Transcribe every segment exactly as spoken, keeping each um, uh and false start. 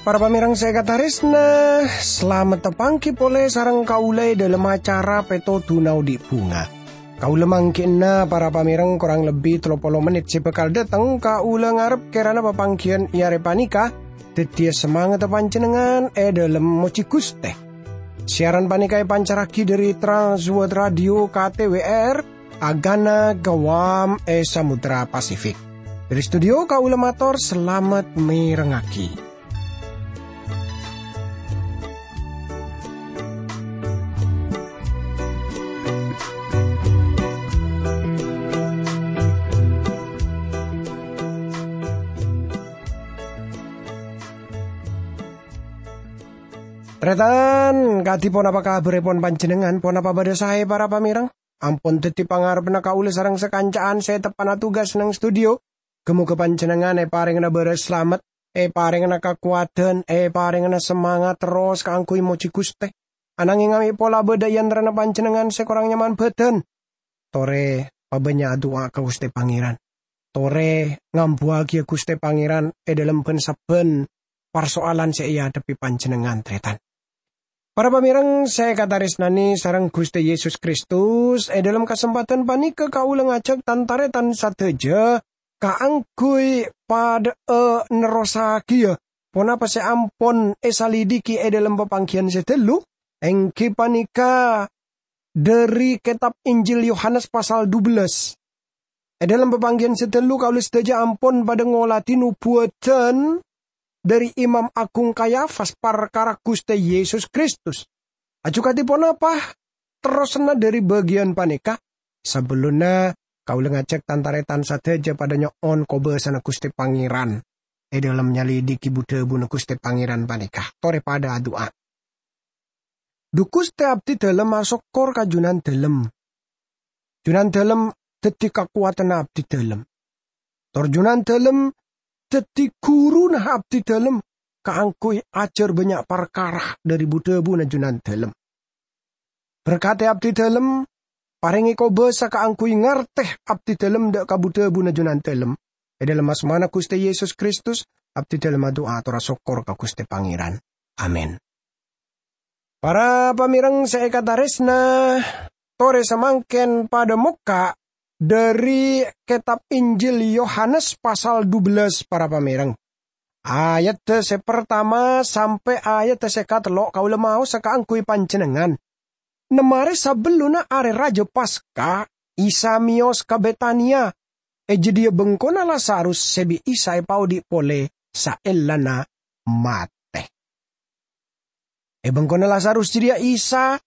Para pamèrèng sè èkatarèsna, salamet tapangghi polè sareng kaulâ è dhâlem acara Pètodhuna Odi' Bhunga. Kaulâ mangghi'na para pamèrèng korang lebbi tello polo mennit sè bhâkal dâteng, kaulâ ngarep kèrana papangghiyân è arè panèka dhâddhiyâ samangatta panjhennengngan è dhâlem mojhi Ghustè. Siaran panèka èpancarraghi dhâri Trans World Radio K T W R, Agana Guam è Samudra Pasifik. Dhâri studio kaulâ mator salamet mèrengngaghi. Tarètan, kadhi ponapa kabhârrèpon panjhennengngan? Ponapa bâdâ saè, para pamèrèng? Ampon dhâddhi pangarebbhâ kaulâ sareng sakanca'an sè teppa'na tugas neng studio. Ghâ-mogâ panjhennengngan èparèngana bârâs salamet, èparèngana kakowadhân, èparèngana samangat terros kaangghuy mojhi Ghustè. Ananghing amè' pola bâdâ è antarana panjhennengngan sè korang nyaman bhâdhân. Torè pabânnya' adu'a ka Ghustè Pangèran. Torè ngambuwâghiyâ Ghustè Pangèran è dhâlem bhân-sabbhân parsoalan sè èadhebbhi panjhennengngan, tarètan. Para pamèrèng sè èkatarèsnanè sareng Ghustè Yesus Kristus, è dhâlem kasempadhân panèka kaulâ ngajhâk tan-tarètan sadhâjâ kaangghuy padhâ'â nerrossaghiyâ ponapa sè ampon èsalidiki è dhâlem papangghiyân sè ghâllu, èngghi panèka dhâri Kètab Injil Yohanes pasal dubellâs. È dhâlem papangghiyân sè ghâllu kaulâ sadhâjâ ampon padhâ ngoladhi nobuwâdhân dhâri Imam Agung Kayafas parkara Ghustè Yesus Kristus. Laju kadhi ponapa terrosanna dhâri bâgiyân panèka? Sabellunna kaulâ ngajhâk tan-tarètan sadhâjâ padhâ nyo'on kobâsana Ghustè Pangèran è dhâlem nyalidiki bu-dhâbuna Ghustè Pangèran panèka. Torè padhâ adu'a. Dhu Ghustè, abdhidhâlem asokkor ka Jhunandhâlem. Jhunandhâlem dhâddhi kakowadhânna abdhidhâlem. Tor Jhunandhâlem dhâddhi ghuruna abdhidhâlem kaangghuy ajhâr bânnya' parkara dhâri bu-dhâbuna Jhunandhâlem. Berkadhi abdhidhâlem, parèngè kobâsa kaangghuy ngartè abdhidhâlem dhâ' ka bu-dhâbuna Jhunandhâlem. È dhâlem asmana Ghustè Yesus Kristus, abdhidhâlem adu'a tor asokkor ka Ghustè Pangèran. Amin. Para pamèrèng sè èkatarèsna, torè samangkèn padhâ mokka' dhâri Kètab Injil Yohanes pasal dubellâs, para pamèrèng. Ayadda sè partama sampè' ayadda sè katello' kaulâ maosa kaangghuy panjhennengngan. Nemmarè sabellunna Arè Rajâ Paska, Isa mèyos ka Betania. È jâdiyâ bengkona Lazarus sè bi' Isa èpaodi' polè saellana matè. È bengkona Lazarus jârèya Isa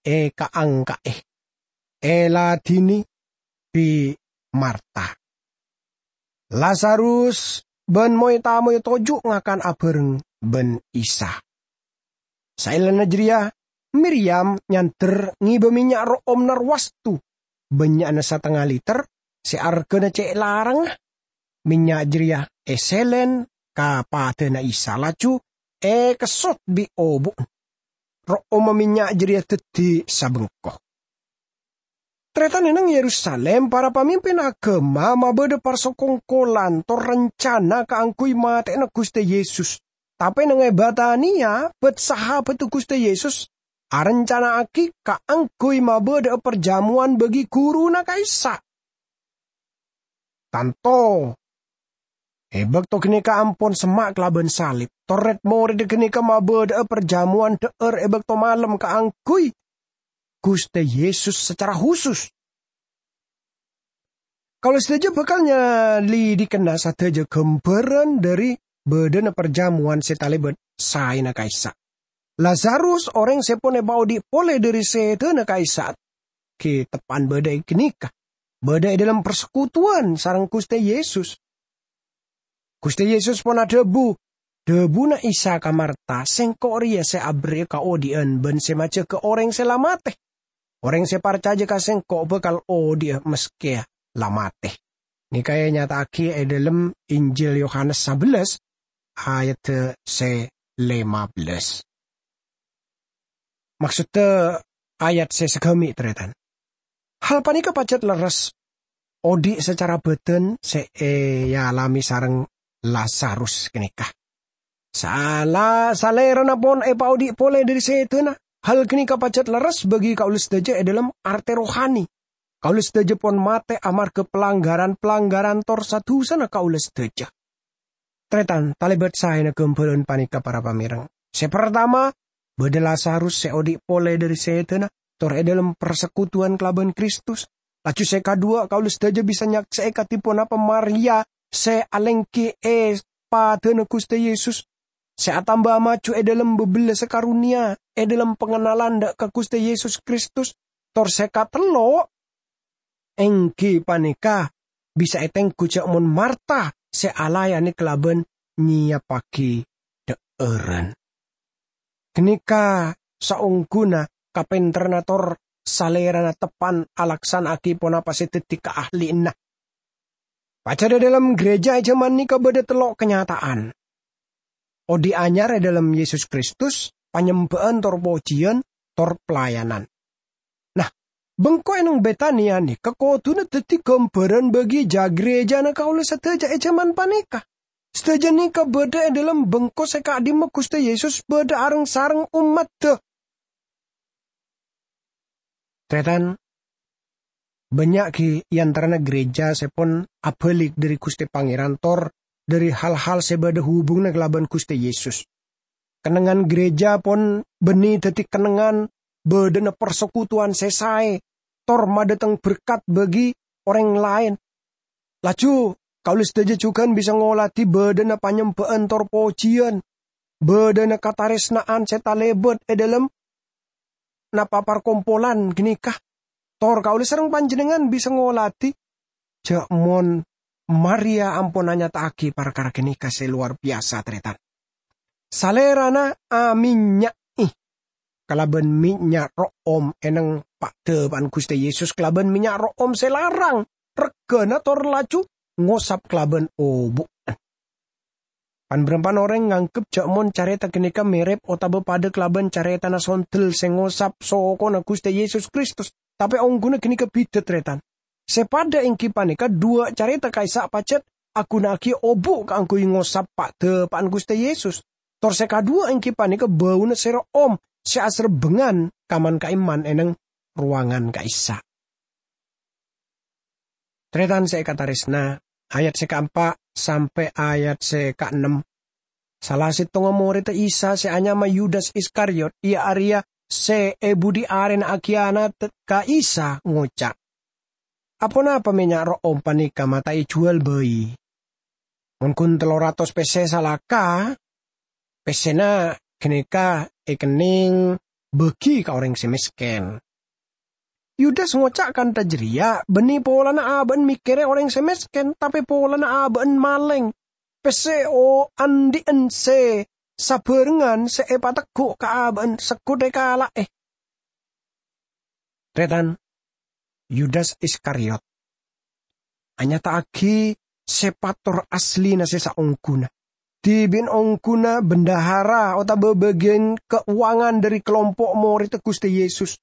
èkaangka'è, èladhini bi' Marta. Lazarus bân moy-tamoy toju' ngakan abhâreng bân Isa. Saellana jârèya, Miryam nyandher ngèbâ mènnya' ro'om narwastu, bânnya'na satengnga liter, sè arghâna cè' larangnga. Mènnya' jârèya èsèlèn ka padâna Isa, laju èkessot bi' obu'na. Ro'omma mènnya' jârèya dhâddhi sabengko. Tarètan, è neng Yerusalim, para pamimpin aghâma mabâdâ parsokongkolan tor rencana kaangghuy matè'ana Ghustè Yesus. Tapè neng è Betania, bâd-sahabaddhâ Ghustè Yesus arencana'aghi kaangghuy mabâdâ'â parjâmowan bâgi ghuruna ka'issa'. Tanto, è bâkto ghânèka ampon semma' kalabân salib, tor rèd-morèdda ghânèka mabâdâ'â parjâmowan dhâ'âr è bâkto malem kaangghuy Ghustè Yesus sacara husus. Kaulâ sadhâjâ bhâkal nyalidikana sadhâjâ ghâmbhârân dhâri bâdâna parjâmowan sè talèbât saèna ka'issa'. Lazarus, orèng sè pon èpaodi' polè dhâri sèdhâna ka'issa', ghi' teppa'na bâdâ è ghânèka, bâdâ è dhâlem parsekutuwan sareng Ghustè Yesus. Ghustè Yesus pon adhâbu, dhâbuna Isa ka Marta, "Sèngko' rèya sè aberri'â kaodi'ân bân sè majâgâ orèng sè la matè. Orèng sè parcajâ ka Sèngko' bhâkal odi'â maskè la matè." Nèka ènyata'aghi è dhâlem Injil Yohanes sabellâs, ayadda sè lèma bellâs. Maksodda ayat sè sagâmè', tarètan. Hal panèka pajhât lerres odi' sacara bâdân sè èalame sareng Lazarus ghânèka. Sala-, salèrana pon èpaodi' polè dhâri sèdhâna. Hal ghânèka pajhât lerres bagi kaulâ sadhâjâ è dhâlem artè rohani. Kaulâ sadhâjâ pon matè amarghâ palanggaran-palanggaran tor sa-dusana kaulâ sadhâjâ. Tarètan, talèbât saèna ghâmbhârân panèka, para pamèreng. Sè partama, bâdâ Lazarus sè odi' polè dhâri sèdhâna, tor è dhâlem parsekutuwan kalabân Kristus. Laju sè kaduwâ', kaulâ sadhâjâ bisa nyaksè'è kadhi ponapa Maria sè alèngghi è padâna Ghustè Yesus, sè atamba maju è dhâlem bâbellâssa karonèya, è dhâlem pangennalan dâ' ka Ghustè Yesus Kristus. Tor sè katello', èngghi panèka bisa ètengghu jâ' mon Marta sè alayanè kalabân nyèyappaghi dhâ'ârân. Ghânèka saongghuna kapènterranna tor salèrana teppan alaksana'aghi ponapa sè dhâddhi kaahli'anna. Pajhât è dhâlem ghârèjâ è jhâman nèka bâdâ tello' kanyata'an. Odi' anyar è dhâlem Yesus Kristus, panyembhâ'ân tor pojiyân, tor pelayanan. Nah, bengko è neng Betania nèka kodhuna dhâddhi ghâmbhârân bagi jâ-, ghârèjâna kaulâ sadhâjâ è jhâman panèka. Sadhâjâ nèka bâdâ è dhâlem bengko sè ka'dimma Ghustè Yesus bâdâ areng-sareng ommaddhâ. Tarètan, bânnya' ghi' è antarana ghârèjâ sè pon abâlik dhâri Ghustè Pangèran tor dhâri hal-hal sè bâdâ hubunganna kalabân Ghustè Yesus. Kennengngan ghârèjâ pon bânnè dhâddhi kennengngan bâdâna parsekutuwan sè saè, tor madâteng berkat bagi orèng laèn. Laju, kaulâ sadhâjâ jhughân bisa ngoladhi bâdâna panyembhâ'ân tor pojiyân, bâdâna katarèsna'an sè talèbât è dhâlem napa parkompolan ghânèka. Tor kaulâ sareng panjhennengngan bisa ngoladhi jâ' mon Maria ampon anyata'aghi parkara ghânèka sè lowar biyasa, tarètan. Salèrana amennya'è kalabân mènnya' ro'om è neng pa'-dâpa'an Ghustè Yesus kalabân mènnya' ro'om sè larang, reggâna tor laju ngosap kalabân obu'na. Pan-bârâmpan orèng nganggep jâ' mon carèta ghânèka mèrèp otabâ padâ kalabân carètana sondel sè ngosap sokona Ghustè Yesus Kristus, tapè ongghuna ghânèka bhidhâ, tarètan. Sè padâ èngghi panèka dhuwâ' carèta ka'issa' pajhât aghunaaghi obu' kaangghuy ngosap pa'-dâpa'an Ghustè Yesus. Tor sè kaduwâ èngghi panèka bâuna sè ro'om sè aserbhângan kaman-ka'imman è neng rowangan ka'issa'. Tarètan sè èkatarèsna, ayat sè kaempa' sampè' ayat sè kaennem. Sala sèttongnga morèdda Isa sè anyama Yudas Iskariot, iyâ arèya sè è budhi arèna akhiyanat ka Isa, ngoca', "Aponapa mènnya' ro'om panèka ma' ta' èjhuwâl bhâi? Mon ghun tello ratos pèssè salaka, pèssèna ghânèka èkennèng bâgi ka orèng sè mèskèn." Yudas ngoca' kantha jârèya bânnè polana abâ'na mèkkèrè orèng sè mèskèn, tapè polana abâ'na malèng. Pèssè o-, andi'ân sè sabhârengngan sè èpategghu' ka abâ'na segghut èkala'è. Tarètan, Yudas Iskariot anyata'aghi sèpat tor asllina sè saongghuna. Dhibi'na ongghuna bendahara otabâ bâgiyân kauwangan dhâri kalompo' morèdda Ghustè Yesus.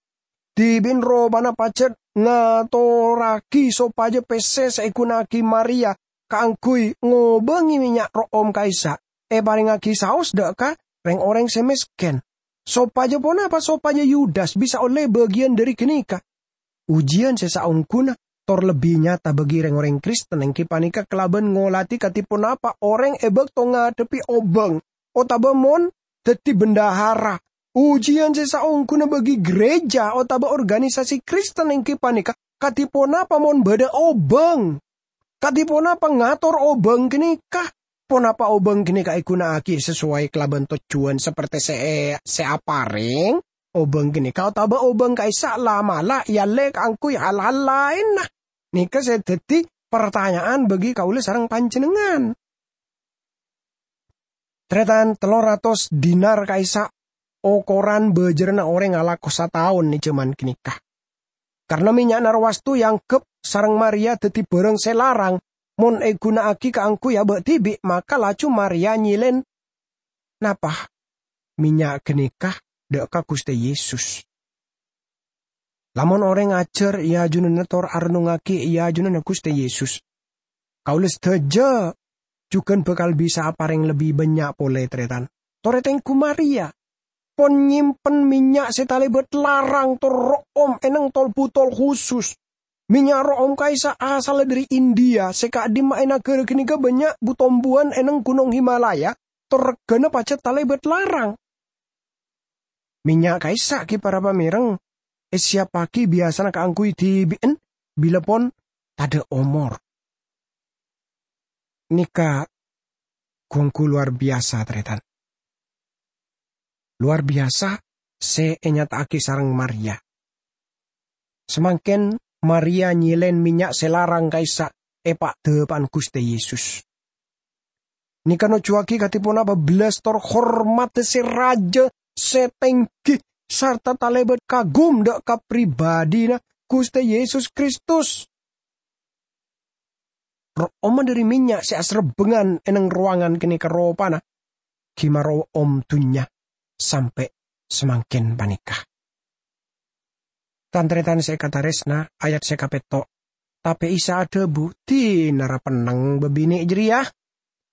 Dhibi'na ropana pajhât ngatorraghi sopajâ pèssè sè èghunaaghi Maria kaangghuy ngobângè mènnya' ro'om ka'issa' èparèngngaghi saos dâ' ka rèng-orèng sè mèskèn. Sopajâ ponapa? Sopajâ Yudas bisa ollè bâgiyân dhâri ghânèka. Ujiyân sè saongghuna tor lebbi nyata bagi rèng-orèng Kristen èngghi panèka kalabân ngoladhi kadhi ponapa orèng è bâkto ngadhebbhi obâng otabâ mon dhâddhi bendahara. Ujiyân sè saongghuna bagi ghârèjâ otabâ organisasi Kristen èngghi panèka kadhi ponapa mon bâdâ obâng. Kadhi ponapa ngator obâng ghânèka? Ponapa obâng ghânèka èghunaaghi sasoway kalabân tojjhuwân saperte sè, sè aparèng? Obâng ghânèka otabâ obâng ka'issa' la'-mala' èallè kaangghuy hal-hal laènna? Nèka sè dhâddhi partanya'an bagi kaulâ sareng panjhennengngan. Tarètan, tello ratos dinar ka'issa' okoran bâjârânna orèng alako sataon è jhâman ghânèka. Karna mènnya'na rowastu èangghep sareng Maria dhâddhi bhârâng sè larang mon èghunaaghi kaangghuy abâ' dhibi', maka laju Maria nyèlèn napa mènnya' ghânèka dha' ka Guste Yesus. Lamon oreng ajar e ajunanna tor arennungngagi e ajunanna Guste Yesus, kaula sadaja jugan bakal bisa apareng lebbi bannya' pole, taretan. Tor etenggu Maria pon nyimpen mennya' se talebat larang tor ro'om e neng tol-butol khusus. Mennya' ro'om ka'issa' asalla dhari India, se ka'dimma e nagara ganeka bannya' bu-tombuwan e neng Gunong Himalaya, tor regana pajat talebat larang. Mennya' ka'issa' gi para pamereng, esiyappagi biyasana kaangguy dibi'en, bila pon tadha' omor. Neka gu-onggu lowar biyasa, taretan. Lowar biyasa se enyata'agi sareng Maria. Samangken Maria nyelen mennya' se larang ka'issa' e pa'-dapa'an Guste Yesus. Neka nojjuwagi kadi ponapa bellas tor hormadda se raja, se tenggi, sarta talebat kagum dha' ka pribadina Guste Yesus Kristus. Ro'omma dhari mennya' se aserebbengan e neng rowangan ganeka ropana gi maro'om dunnya sampe' samangken paneka. Tan-taretan se ekataresna, ayat se kapetto', tape Isa adhabu, "Dinara penneng babine' jareya?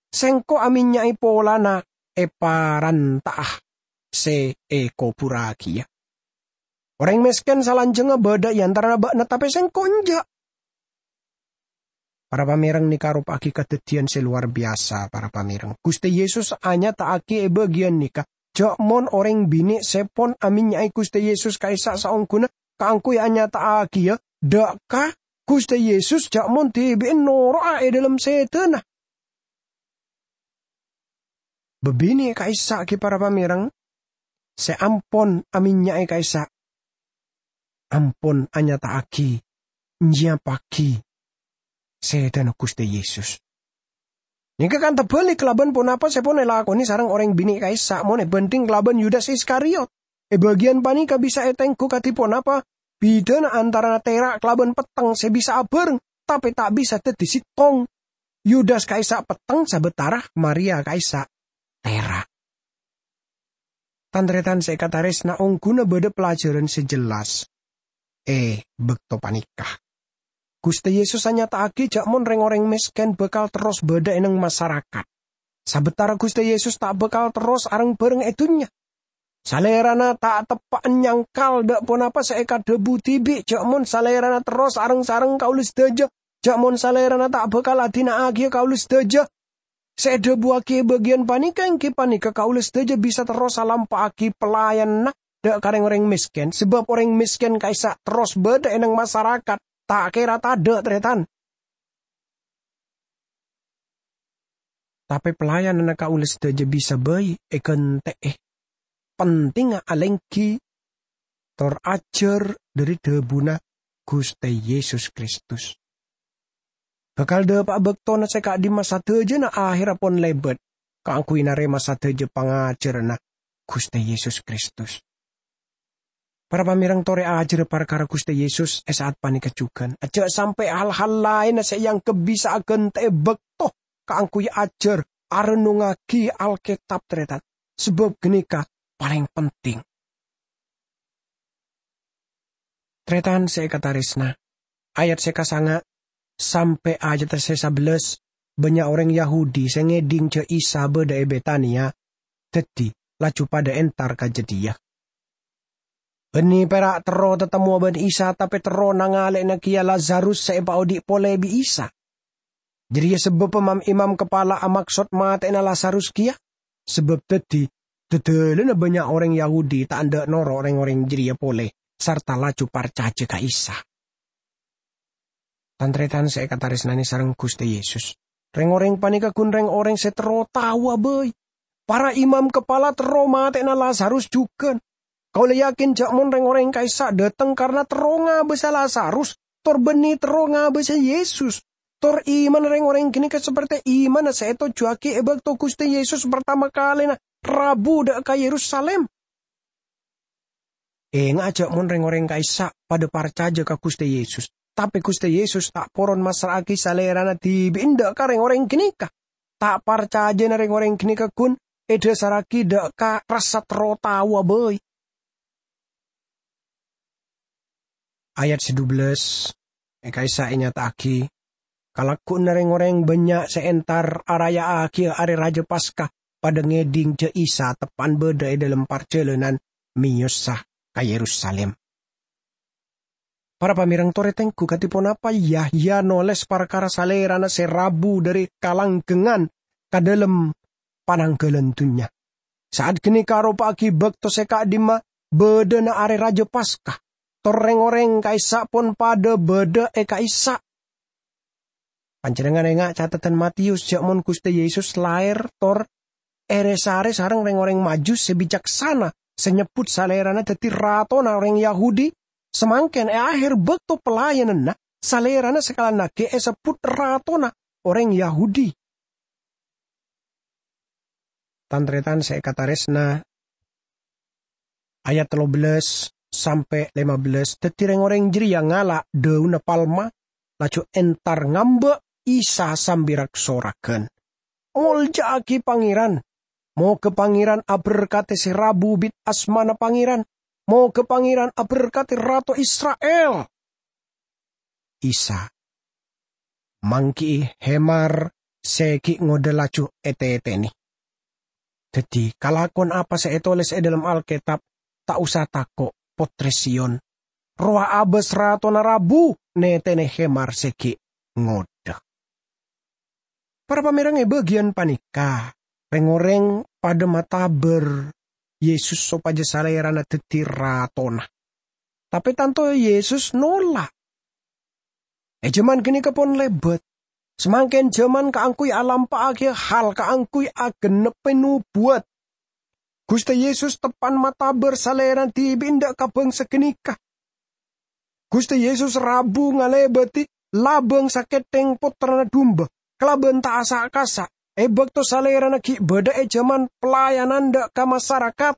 Sengko' amennya'e polana eparanta'a se ekoburragiya. Oreng mesken salanjangnga badha e antarana ba'na, tape sengko' enja'." Para pamereng, neka aropa'agi kadaddiyan se lowar biyasa, para pamereng. Guste Yesus anyata'agi e bagiyan neka ja' mon oreng bine' se pon amennya'e Guste Yesus ka'issa' saongguna kaangguy anyata'agiya dha' ka Guste Yesus ja' mon dibi'en noro'a e dhalem sedana. Babine' ka'issa' gi para pamereng se ampon amennya'e ka'issa' ampon anyata'agi, nyiyappagi sedana Guste Yesus. Neka kanta balik kalaban ponapa se pon elakone sareng oreng bine' ka'issa' mon ebandhing kalaban Yudas Iskariot. E bagiyan paneka bisa etenggu kadi ponapa bidana antarana tera' kalaban petteng se bisa abareng, tape ta' bisa daddi settong. Yudas ka'issa' petteng sabatara Maria ka'issa' tera'. Tan-taretan se ekataresna, ongguna badha pelajaran se jelas e bakto paneka. Guste Yesus anyata'agi ja' mon reng-oreng mesken bakal terros badha e neng masarakat. Sabatara Guste Yesus ta' bakal terros areng-bareng e dunnya. Salerana ta' teppa'an nyangkal dha' ponapa se ekadhabu dibi' ja' mon Salerana terros areng-sareng kaula sadaja, ja' mon Salerana ta' bakal adina'agiya kaula sadaja. Se edhabuwagi e bagiyan paneka enggi paneka kaula sadaja bisa terros alampa'agi pelayananna dha' ka reng-oreng mesken, sabab oreng mesken ka'issa' terros badha e neng masarakat, ta' kera tadha', taretan. Tape pelayananna kaula sadaja bisa bai egante'e. Pentingnga alenggi tor ajar dhari dhabuna Guste Yesus Kristus. Bakal dhapa'a baktona se ka'dimma sadajana aherra pon lebat kaangguy narema sadaja pangajaranna Guste Yesus Kristus. Para pamereng, tore ajarra parkara Guste Yesus e sa'at paneka jugan. Aja' sampe' hal-hal laenna se eanggep bisa agante'e bakto kaangguy ajar, arennungngagi Alketab, taretan, sabab ganeka paleng penting. Taretan se ekataresna, ayat se kasanga' sampe' ayat se sabellas, bannya' oreng Yahudi se ngedhing ja' Isa badha e Betania, daddi laju padha entar ka jadhiya. Banne pera' terro tatemmowa ban Isa, tape terro nangale'ana keya Lazarus se epaodhi' pole bi' Isa. Jareya sababba mam-imam kapala amaksod mateyana Lazarus keya, sabab daddi dadalanna bannya' oreng Yahudi ta' endha' noro' reng-oreng jareya pole, sarta laju parcaja ka Isa. Tan-taretan se ekataresnane sareng Guste Yesus, reng-oreng paneka gun reng-oreng se terro taowa bai. Para imam kapala terro mateyana Lazarus jugan. Kaula yakin ja' mon reng-oreng ka'issa' dhateng karna terro ngabasa Lazarus, tor banne terro ngabasa Yesus. Tor imanna reng-oreng ganeka saperte imanna se etojjuwagi e bakto Guste Yesus partama kalena rabu dha' ka Yerusalim. Enga'a ja' mon reng-oreng ka'issa' padha parcaja ka Guste Yesus, tape Guste Yesus ta' poron massra'agi Salerana dibi' endha' ka reng-oreng ganeka. Ta' parcajana reng-oreng ganeka gun edhasarragi dha' ka rassa terro taowa bai. Ayat sadubellâs, è ka'issa' ènyata'aghi, "Kalaggu'na rèng-orèng bânnya' sè entar araya'aghiyâ Arè Rajâ Paska padâ ngèdhing jâ' Isa teppa'na bâdâ è dâlem parjhâlânan mèyosa ka Yerusalim." Para pamèreng, torè tengghu kadhi ponapa Yahya nolès parkara Salèrana sè rabu dâri kalanggengngan ka dâlem pananggalan dhunnya. Sa'at ghânèka aropa'aghi bâkto sè ka'dimma bâdâna Arè Rajâ Paska, tor rèng-orèng ka'issa' pon padâ bâdâ è ka'issa'. Panjhennengngan enga' catetan Matius jâ' mon Ghustè Yesus laèr tor èrè-sarè sareng rèng-orèng Majus sè bicaksana sè nyebbhut Salèrana dhâddhi ratona orèng Yahudi, samangkèn è aher bâkto pelayananna, Salèrana sakalèan aghi' èsebbhut ratona orèng Yahudi. Tan-tarètan sè èkatarèsna, ayat tello bellâs sampè' lèma bellâs, dhâddhi rèng-orèng jârèya ngala' dâunna palma, laju entar ngambâ' Isa sambi rak-soraghân, "Molja'aghi Pangèran! Moghâ Pangèran aberkadhi sè rabu bit asmana Pangèran! Moghâ Pangèran aberkadhi Rato Isra'il!" Isa, "Mangghi'i hemar sè ghi' ngodâ laju ètètènè. Dhâddhi, kalakowan apa sè ètolès è dâlem Alkètab, 'Ta' osa tako', Pottrè Siyon. Rowa abâs ratona rabu nètènè hemar sè ghi' ngodâ.'" Para pamèreng, è bâgiyân panèka, rèng-orèng padâ matabâr Yesus sopajâ Salèrana dhâddhi ratona. Tapè tanto Yesus nola'. È jhâman ghânèka pon lèbât. Samangkèn jhâman kaangghuy alampa'aghiyâ hal kaangghuy agennebbhi nobuwat. Ghustè Yesus teppa'na matabâr Salèrana dhibi' endâ' ka bhângsa ghânèka. Ghustè Yesus rabu ngalèbâdhi labâng sakèthèng pottrana dumba kalabân ta' asa'-kasa', è bâkto Salèrana ghi' bâdâ è jhâman pelayanan dâ' ka masarakat.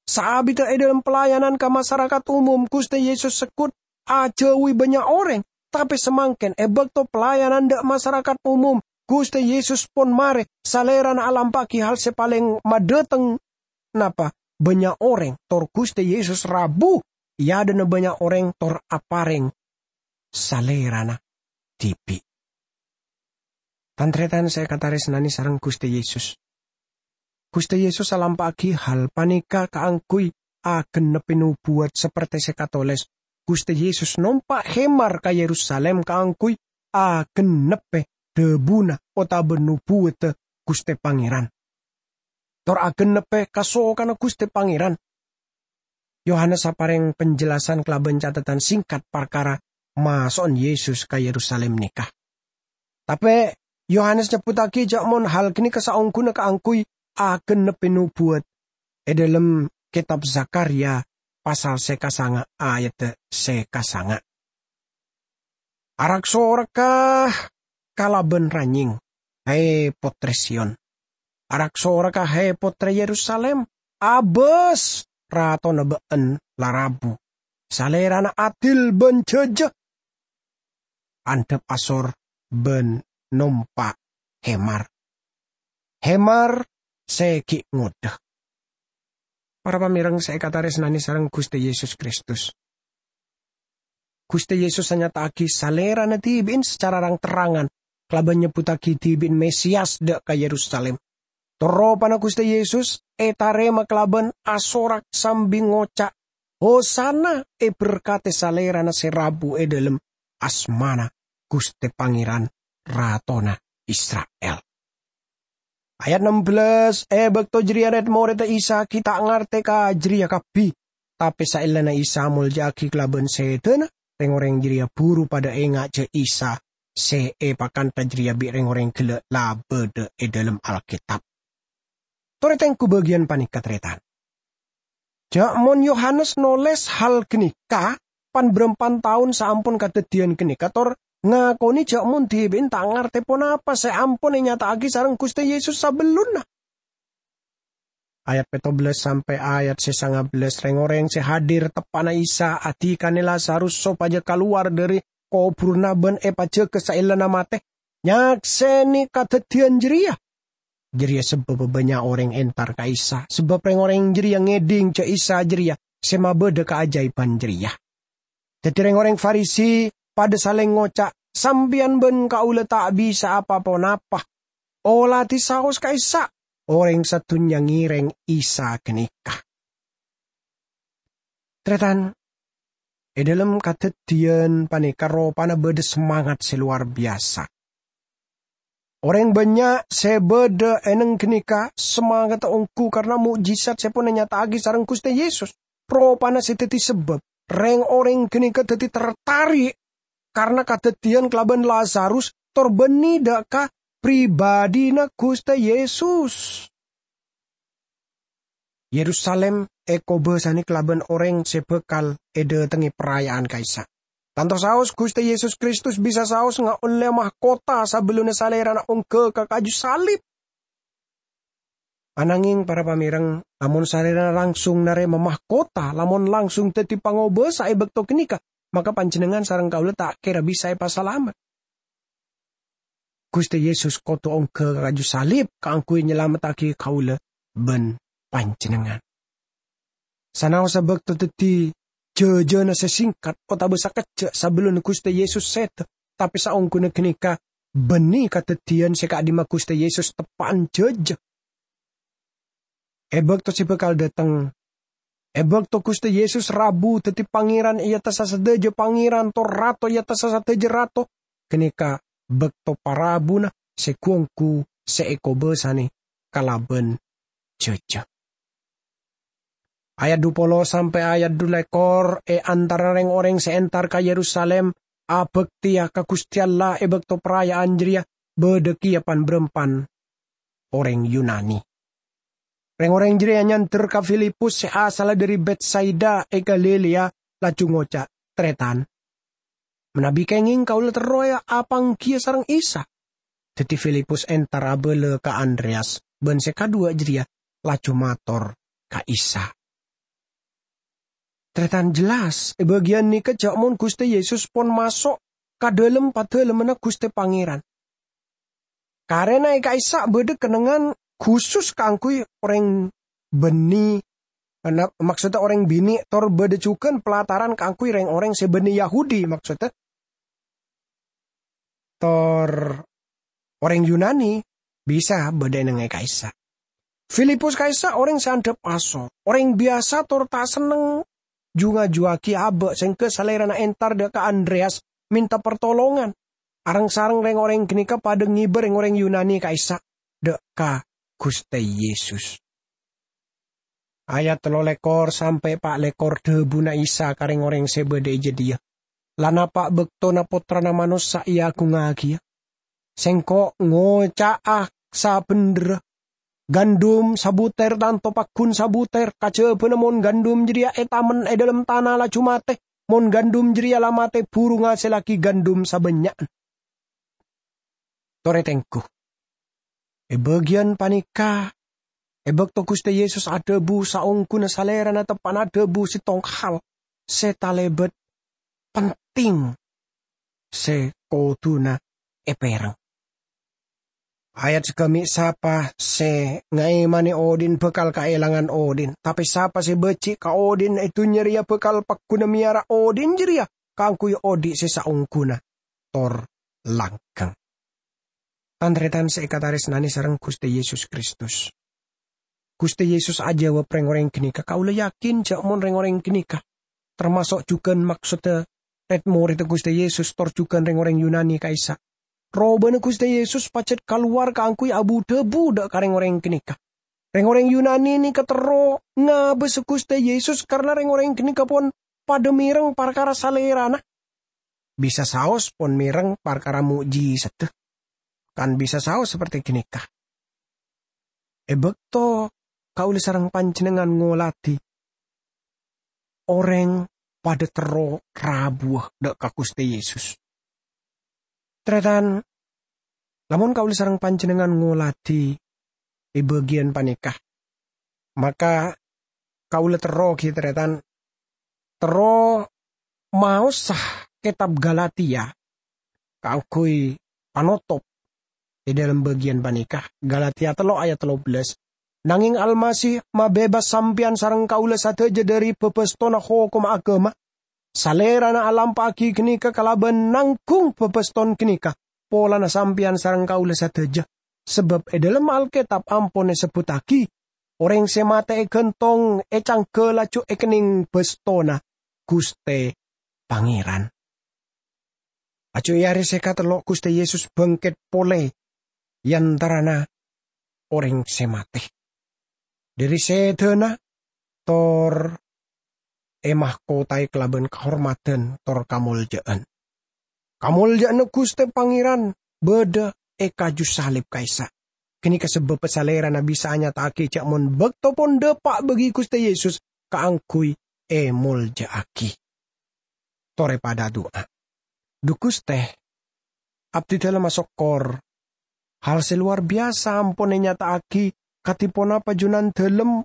Saabiddhâ è dâlem pelayanan ka masarakat umum, Ghustè Yesus segghut ajhâuwi bânnya' orèng, tapè samangkèn è bâkto pelayanan dâ' masarakat umum, Ghustè Yesus pon marè, Salèrana alampa'aghi hal sè palèng madhâteng napa bânnya' orèng, tor Ghustè Yesus rabu è adâ'na bânnya' orèng tor aparèng Salèrana dhibi'. Tan-tarètan sè èkatarèsnanè sareng Ghustè Yesus, Ghustè Yesus alampa'aghi hal panèka kaangghuy agennebbhi nobuwat sapertè sè katolès, Ghustè Yesus nompa' hemar ka Yerusalim kaangghuy agennebbhi dhâbuna otabâ nobuwadda Ghustè Pangèran, tor agennebbhi kasokanna Ghustè Pangèran. Yohanes aparèng penjelasan kalabân catetan singkat parkara maso'an Yesus ka Yerusalim nèka. Tapè Yohanes nyebbhuttaghi jâ' mon hal ghânèka saongghuna kaangghuy agennebbhi nobuwat è dâlem kètab Zakharya pasal sè kasanga' ayaddhâ sè kasanga'. "Arak-sorakka kalabân ranyèng, hè, Pottrè Siyon! Arak-sorakka, hè, Pottrè Yerusalim! Abâs, ratona bâ'ân la rabu! Salèrana adil bân jhâjâ, andhâp asor bân nompa' hemar. Hemar sè ghi' ngodâ." Para pamèreng sè èkatarèsnanè sareng Ghustè Yesus Kristus, Ghustè Yesus anyata'aghi Salèrana dhibi'in sacara rang-terrangan kalabân nyebbhuttaghi dhibi'in Mesias dâ' ka Yerusalim. Tor ropana Ghustè Yesus ètarèma kalabân asorak sambi ngoca', "Hosana! Èberkadhi Salèrana sè rabu è dâlem asmana Ghustè Pangèran, Ratona Isra'il." Ayat ennem belas, è bâkto jârèya rèd-morèdda Isa ghi' ta' ngartè ka jârèya kabbhi. Tapè saellana Isa amolja'aghi kalabân sèdhâna, rèng-orèng jârèya buru padâ enga' jâ' Isa sè èpakanta jârèya bi' rèng-orèng ghellâ' la bâdâ è dâlem Alkètab. Torè tengghu bâgiyân panèka, tarètan. Jâ' mon Yohanes nolès hal ghânèka, pan-bârâmpan taon saampon kadhâddhiyân ghânèka, tor ngakonè jâ' mon dhibi'in ta' ngartè ponapa sè ampon ènyata'aghi sareng Ghustè Yesus sabellunna. Ayat pètto belas sampè' ayat sè sanga belas, rèng-orèng sè hadir teppa'na Isa adhikana Lazarus sopajâ kalowar dâri kobhurânna bân èpajâgâ saellana matè, nyaksènè kadhâddhiyân jârèya. Jârèya sabâbbhâ bânnya' orèng entar ka Isa, sabâb rèng-orèng jârèya ngèdhing jâ' Isa jârèya sè mabâdâ kaajaèban jârèya. Daddi reng-oreng Farisi padha saleng ngoca', "Sampeyan ban kaula ta' bisa apa-ponapa. Oladi saos ka'issa'." Oreng sadhunnya ngèrèng Isa ganèka. Tarètan, è dhâlem kadhâddhiyân panèka ropana bâdâ semangat sè lowar biyasa. Orèng bânnya' sè bâdâ è neng ganèka samangatta ongghu karna mo'jizat sè pon ènyata'aghi sareng Ghustè Yesus. Ropana sè dhâddhi sabâb reng-orèng ganèka dhâddhi tertarik karna kadhâddhiyân kalabân Lazarus tor bânnè dâ' ka pribadhina Ghustè Yesus. Yerusalim èkobâsanè kalabân orèng sè bhâkal èdâtengngè paraya'an ka'issa'. Tanto saos Ghustè Yesus Kristus bisa saos ngaollè mahkota sabellunna Salèrana ongghâ ka kaju salib. Anangèng, para pamèreng, lamon Salèrana langsung narèma mahkota, lamon langsung dhâddhi pangobâsa è bâkto ganèka, maka panjhennengngan sareng kaulâ ta' kèra bisa èpasalamet. Ghustè Yesus kodhu ongghâ ka kaju salib kaangghuy nyalamettaghi kaulâ bân panjhennengngan. Sanaossa bâkto dhâddhi jhâjhâna sè sèngkat otabâ sakejjhâ' sabellunna Ghustè Yesus sèdhâ, tapè saongghuna ganèka bânnè kadhâddhiyân sè ka'dimma Ghustè Yesus teppa'an jhâjhâ. È bâkto sè bhâkal dâteng, è bâkto Ghustè Yesus rabu dhâddhi Pangèran è attassa sadhâjâ pangèran tor Rato è attassa sadhâjâ rato, ganèka bâkto parabuna sè ghu-ongghu sè èkobâsanè kalabân jhâjhâ. Ayat dhu polo sampè' ayat dhu lèkor è antarana rèng-orèng sè entar ka Yerusalim abhâktèya ka Ghustè Allah è bâkto paraya'an jârèya bâdâ kèya pan-bârâmpan orèng Yunani. Rèng-orèng jârèya nyandher ka Filipus sè asalla dhâri Betsaida è Galilea, laju ngoca', "Tarètan, manabi kèngèng kaulâ terro ya apangghiyâ sareng Isa." Dhâddhi Filipus entar abâlâ ka Andreyas, bân sè kadhuwâ jârèya laju mator ka Isa. Tarètan, jelas, è bâgiyân nèka jhâ' mon Ghustè Yesus pon maso' ka dhâlem padhâlemmanna Ghustè Pangèran. Karèna è ka'issa' bâdâ kennengngan khusus kaangghuy orèng bânnè, na-, maksodda orèng binè', tor bâdâ jhughân pelataran kaangghuy rèng-orèng sè bânnè Yahudi, maksodda tor orèng Yunani bisa bâdâ è nengnga'è ka'issa'. Filipus ka'issa' orèng sè andhâp asor, orèng biyasa tor ta' senneng ju-ngajhuwâghi abâ' sèngghâ salèrana entar dâ' ka Andreyas mènta partolongan. Areng-sareng rèng-orèng ghânèka padâ ngèbâ rèng-orèng Yunani ka'issa' dâ' ka Ghustè Yesus. Ayat tello lèkor sampè' pa' lèkor dhâbuna Isa ka rèng-orèng sè bâdâ è jâdiyâ, "La napa' bâktona Pottrana Manossa èagungngagiyâ? Sèngko' ngoca'a sabhendherra, gandum sabutèr tanto paggun sabutèr, kajhâbhâna mon gandum jârèya ètamen è dhâlem tana laju matè, mon gandum jârèya la matè buru ngasèllaghi gandum sabânnya'na." Torè tengghu. È bâgiyân panèka, è bâkto Ghustè Yesus adhâbu saongghuna Salèrana teppa'na adhâbu sèttong hal sè talèbât penting sè kodhuna èpèreng. Ayat saghâmè', "Sapa sè ngaèmanè odhi'na bhâkal kaèlangan odhi'na, tapè sapa sè bâjhi' ka odhi'na è dhunnya rèya bhâkal paggunna mèyara odhi'na jârèya kaangghuy odhi' sè saongghuna tor langghâng." Tan-tarètan sè èkatarèsnanè sareng Ghustè Yesus Kristus. Ghustè Yesus ajâwâb rèng-orèng ghânèka, "Kaulâ yakin jhâ' mon rèng-orèng ghânèka, tamaso' jhughân maksodda rèd-morèdda Ghustè Yesus tor jhughân rèng-orèng Yunani ka'issa'. Robâna Ghustè Yesus pajhât kalowar kaangghuy abu-dhâbu dâ' ka rèng-orèng ghânèka. Rèng-orèng Yunani nèka terro ngabâsa Ghustè Yesus karna rèng-orèng ghânèka pon padâ mèreng parkara Salèrana. Bisa saos pon mèreng parkara mo'jisadda, kan bisa saos saperte ghânèka." È bâkto kaulâ sareng panjhennengngan ngoladhi, orèng padâ terro rabuwâ dâ' ka Ghustè Yesus. Tarètan, lamon kaulâ sareng panjhennengngan ngoladhi è bâgiyân panèka, maka kaulâ terro ghi, tarètan, terro maosa kètab Galatia kaangghuy panotop è dhâlem bâgiyân panèka. Galatia tello' ayat tello bellâs, "Nangèng Almasih mabebas sampèyan sareng kaulâ sadhâjâ dhâri bâbâstona hokomma aghâma, Salerana alampa'agi ganeka kalaban nanggung babaston ganeka polana sampeyan sareng kaula sadaja, sabab e dhalem Alketab ampon esebbuttagi, "Oreng se mate egantong e cangga laju ekenneng bastona Guste Pangeran." Laju e are se katello' Guste Yesus bangket pole e antarana oreng se mate. Dhari sedana tor emahkotae kalaban kahormadan tor kamolja'an. Kamolja'anna Guste Pangeran badha e kaju salib ka'issa'. Ganeka sababba Salerana bisa anyata'agi ja' mon bakto pon dapa' bagi Guste Yesus kaangguy emolja'agi. Tore padha adu'a. Dhu Guste, abdidalem asokkor. Hal se lowar biyasa ampon enyata'agi kadi ponapa Junandalem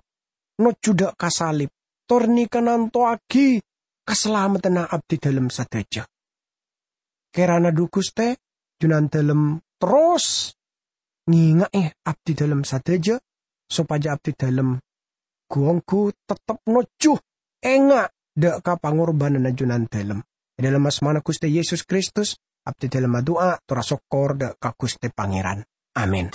nojju dha' ka salib, tor neka nantowagi kasalameddhânna abdidalem sadaja. Kerana dhu Guste, Junandalem terros ngenga'e abdidalem sadaja, sopaja abdidalem gu-onggu tettep nojju enga' dha' ka pangorbananna Junandalem. E dhalem asmana Guste Yesus Kristus, abdidalem adu'a tor asokkor dha' ka Guste Pangeran. Amin.